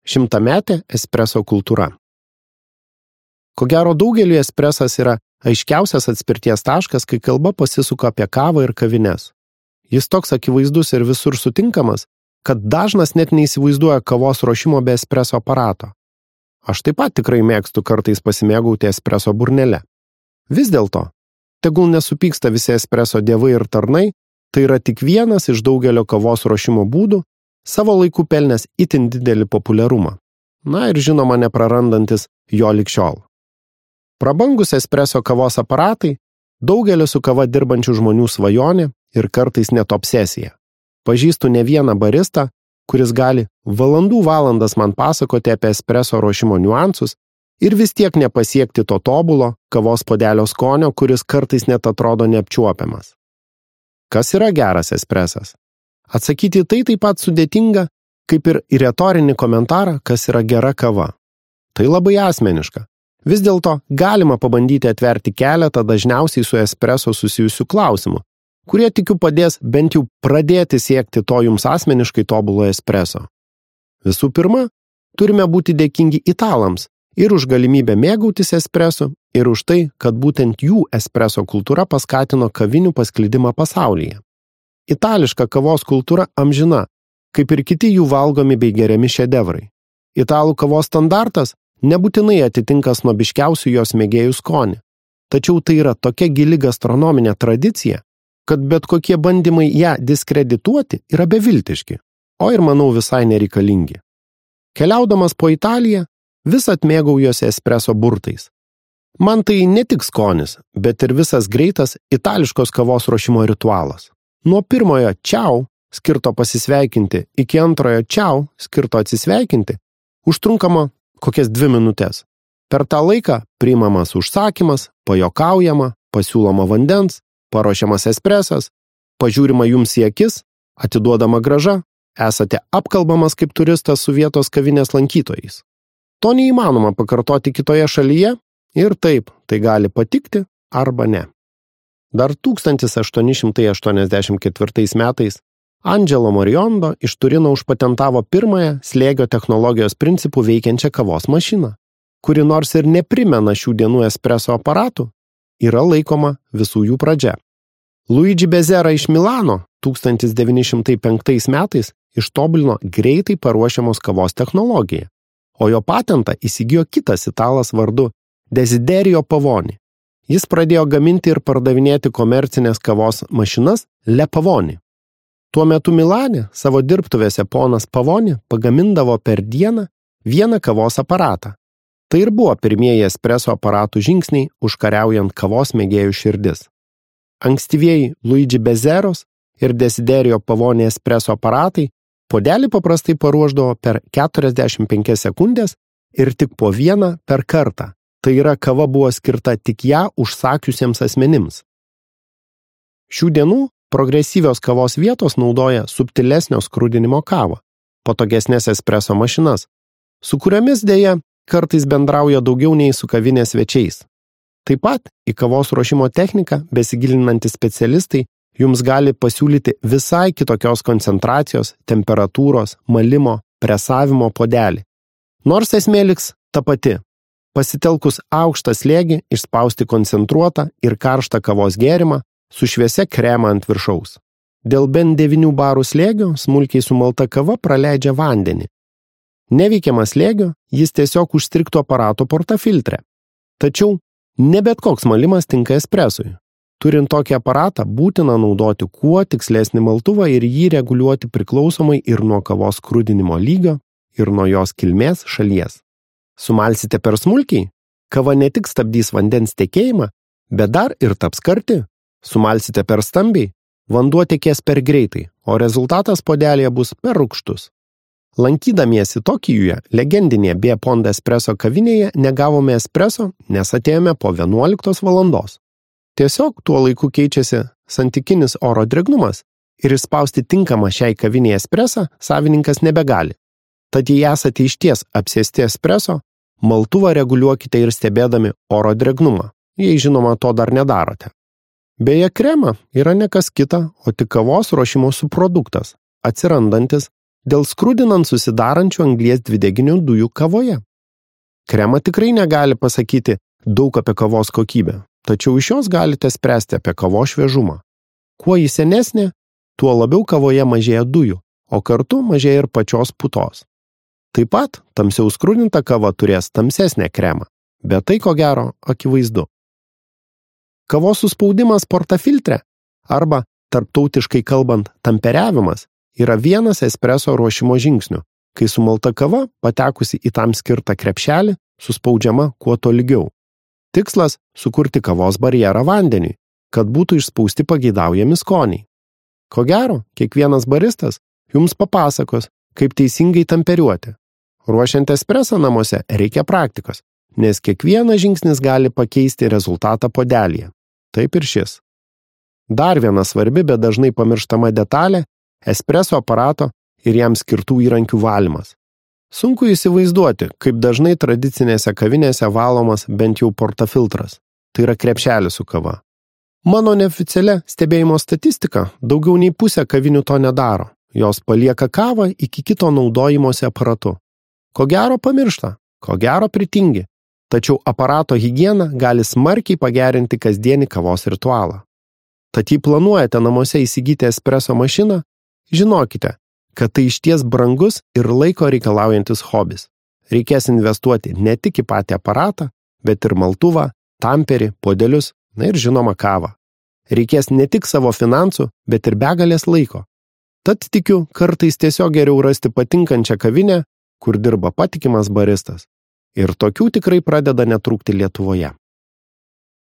100-metė espreso kultūra. Ko gero daugeliui espresas yra aiškiausias atspirties taškas, kai kalba pasisuka apie kavą ir kavines. Jis toks akivaizdus ir visur sutinkamas, kad dažnas net neįsivaizduoja kavos ruošimo be espreso aparato. Aš taip pat tikrai mėgstu kartais pasimėgauti espreso burnele. Vis dėlto, tegul nesupyksta visi espreso dievai ir tarnai, tai yra tik vienas iš daugelio kavos ruošimo būdų, savo laiku pelnęs itin didelį populiarumą. Na ir žinoma neprarandantis jo lig šiol. Prabangus espreso kavos aparatai daugelio su kava dirbančių žmonių svajonė ir kartais net obsesija. Pažįstu ne vieną baristą, kuris gali valandų valandas man pasakoti apie espreso ruošimo niuansus ir vis tiek nepasiekti to tobulo kavos puodelio skonio, kuris kartais net atrodo neapčiuopiamas. Kas yra geras espresas? Atsakyti tai taip pat sudėtinga, kaip ir į retorinį komentarą, kas yra gera kava. Tai labai asmeniška. Vis dėlto galima pabandyti atverti keletą dažniausiai su espreso susijusių klausimų, kurie tikiu padės bent jau pradėti siekti to jums asmeniškai tobulo espreso. Visų pirma, turime būti dėkingi italams ir už galimybę mėgautis espresu, ir už tai, kad būtent jų espreso kultūra paskatino kavinių pasklidimą pasaulyje. Itališka kavos kultūra amžina, kaip ir kiti jų valgomi bei geriami šedevrai. Italų kavos standartas nebūtinai atitinka snobiškiausių jos mėgėjų skonį, tačiau tai yra tokia gili gastronominė tradicija, kad bet kokie bandymai ją diskredituoti yra beviltiški, o ir manau visai nereikalingi. Keliaudamas po Italiją, vis atmėgaujuosi espreso burtais. Man tai ne tik skonis, bet ir visas greitas itališkos kavos ruošimo ritualas. Nuo pirmojo čiau, skirto pasisveikinti, iki antrojo čiau, skirto atsisveikinti, užtrunkama kokias 2 minutės. Per tą laiką priimamas užsakymas, pajuokaujama, pasiūloma vandens, paruošiamas espresas, pažiūrima jums į akis, atiduodama grąža, esate apkalbamas kaip turistas su vietos kavinės lankytojais. To neįmanoma pakartoti kitoje šalyje ir taip, tai gali patikti arba ne. Dar 1884 metais Angelo Moriondo iš Turino užpatentavo pirmąją slėgio technologijos principų veikiančią kavos mašiną, kuri nors ir neprimena šių dienų espreso aparatų, yra laikoma visų jų pradžia. Luigi Bezera iš Milano 1905 metais ištobulino greitai paruošiamos kavos technologiją, o jo patentą įsigijo kitas italas vardu Desiderio Pavoni. Jis pradėjo gaminti ir pardavinėti komercinės kavos mašinas Le Pavoni. Tuo metu Milane savo dirbtuvėse ponas Pavoni pagamindavo per dieną vieną kavos aparatą. Tai ir buvo pirmieji espreso aparatų žingsniai užkariaujant kavos mėgėjų širdis. Ankstyvieji Luigi Bezeros ir Desiderio Pavoni espreso aparatai puodelį paprastai paruošdavo per 45 sekundės ir tik po vieną per kartą. Tai yra, kava buvo skirta tik ją užsakiusiems asmenims. Šių dienų progresyvios kavos vietos naudoja subtilesnio skrudinimo kavą, patogesnės espreso mašinas, su kuriomis dėja kartais bendrauja daugiau nei su kavinės svečiais. Taip pat į kavos ruošimo techniką besigilinantys specialistai jums gali pasiūlyti visai kitokios koncentracijos, temperatūros, malimo, presavimo puodelį. Nors esmė liks ta pati. Pasitelkus aukštą slėgį išspausti koncentruotą ir karštą kavos gėrimą su šviesia krema ant viršaus. Dėl bent 9 barų slėgio smulkiai sumalta kava praleidžia vandenį. Neveikiamas slėgio jis tiesiog užstrigtų aparato portafiltre. Tačiau ne bet koks malimas tinka espresui. Turint tokį aparatą, būtina naudoti kuo tikslesnį maltuvą ir jį reguliuoti priklausomai ir nuo kavos skrudinimo lygio, ir nuo jos kilmės šalies. Sumalsite per smulkiai, kava ne tik stabdys vandens tekėjimą, bet dar ir taps karti. Sumalsite per stambiai, vanduo tekės per greitai, o rezultatas puodelėje bus per rūgštus. Lankydamiesi Tokijuje, legendinėje Be Ponda espreso kavinėje negavome espreso, nes atėjome po 11 valandos. Tiesiog tuo laiku keičiasi santykinis oro drėgnumas ir išspausti tinkamą šiai kavinėje espresą savininkas nebegali. Tad jei esate išties apsėsti espreso, maltuvą reguliuokite ir stebėdami oro drėgnumą, jei žinoma to dar nedarote. Beje, krema yra ne kas kita, o tik kavos ruošimo subproduktas, atsirandantis dėl skrudinant susidarančių anglies dvideginių dujų kavoje. Krema tikrai negali pasakyti daug apie kavos kokybę, tačiau iš jos galite spręsti apie kavos šviežumą. Kuo ji senesnė, tuo labiau kavoje mažėja dujų, o kartu mažėja ir pačios putos. Taip pat tamsiau skrudinta kava turės tamsesnę kremą, bet tai ko gero akivaizdu. Kavos suspaudimas portafiltre arba, tarptautiškai kalbant, tamperiavimas yra vienas espreso ruošimo žingsnių, kai sumalta kava, patekusi į tam skirtą krepšelį, suspaudžiama kuo tolygiau. Tikslas – sukurti kavos barjerą vandeniui, kad būtų išspausti pageidaujami skoniai. Ko gero, kiekvienas baristas jums papasakos, kaip teisingai tamperiuoti. Ruošiant espresą namuose reikia praktikos, nes kiekvienas žingsnis gali pakeisti rezultatą puodelyje. Taip ir šis. Dar viena svarbi, bet dažnai pamirštama detalė – espreso aparato ir jam skirtų įrankių valymas. Sunku įsivaizduoti, kaip dažnai tradicinėse kavinėse valomas bent jau portafiltras. Tai yra krepšelis su kava. Mano neoficialia stebėjimo statistika daugiau nei pusė kavinių to nedaro. Jos palieka kavą iki kito naudojimosi aparatu. Ko gero pamiršta, ko gero pritingi. Tačiau aparato higiena gali smarkiai pagerinti kasdienį kavos ritualą. Tad jei planuojate namuose įsigyti espreso mašiną, žinokite, kad tai išties brangus ir laiko reikalaujantis hobis. Reikės investuoti ne tik į patį aparatą, bet ir maltuvą, tamperį, puodelius, na ir žinoma kavą. Reikės ne tik savo finansų, bet ir begalės laiko. Tad tikiu, kartais tiesiog geriau rasti patinkančią kavinę, kur dirba patikimas baristas. Ir tokių tikrai pradeda netrūkti Lietuvoje.